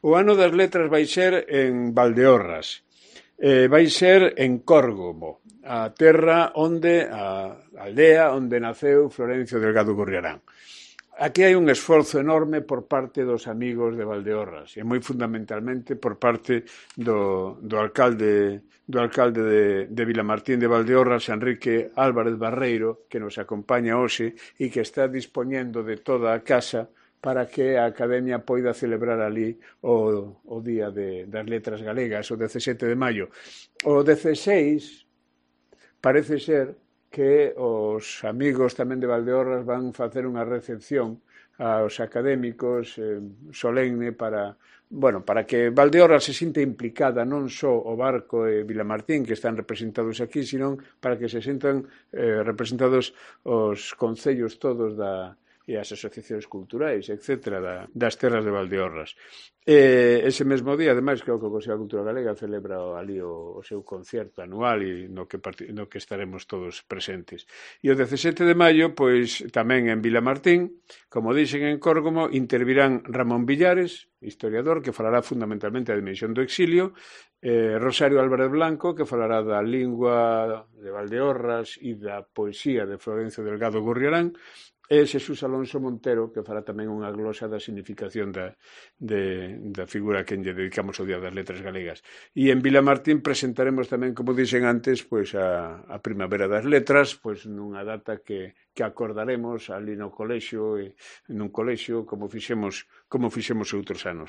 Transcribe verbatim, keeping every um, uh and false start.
O ano das letras vai ser en Valdeorras, eh, vai ser en Córgomo, a terra onde, a aldea onde naceu Florencio Delgado Gurriarán. Aquí hai un esforzo enorme por parte dos amigos de Valdeorras e moi fundamentalmente por parte do, do alcalde do alcalde de, de Vilamartín de Valdeorras, Enrique Álvarez Barreiro, que nos acompaña hoxe e que está dispoñendo de toda a casa para que a Academia poida celebrar ali o, o Día de, das Letras Galegas, o dezasete de maio. O dezaseis parece ser que os amigos tamén de Valdeorras van facer unha recepción aos académicos eh, solemne para, bueno, para que Valdeorras se sinte implicada non só o Barco e Vilamartín, que están representados aquí, sino para que se sintan eh, representados os concellos todos da e as asociacións culturais, etcétera, da, das terras de Valdeorras. E ese mesmo día, ademais, creo que o Consello da Cultura Galega celebra ali o, o seu concerto anual e no que, no que estaremos todos presentes. E o dezasete de maio, pois, tamén en Vilamartín, como dixen en Córgomo, intervirán Ramón Villares, historiador, que falará fundamentalmente da dimensión do exilio, eh, Rosario Álvarez Blanco, que falará da lingua de Valdeorras e da poesía de Florencio Delgado Gurriarán, e Xesús Alonso Montero, que fará tamén unha glosa da significación da, de, da figura a quen lle dedicamos o Día das Letras Galegas. E en Vilamartín presentaremos tamén, como dixen antes, pois a, a Primavera das Letras, pois nunha data que, que acordaremos ali no colexio, e nun colexio, como fixemos, como fixemos outros anos.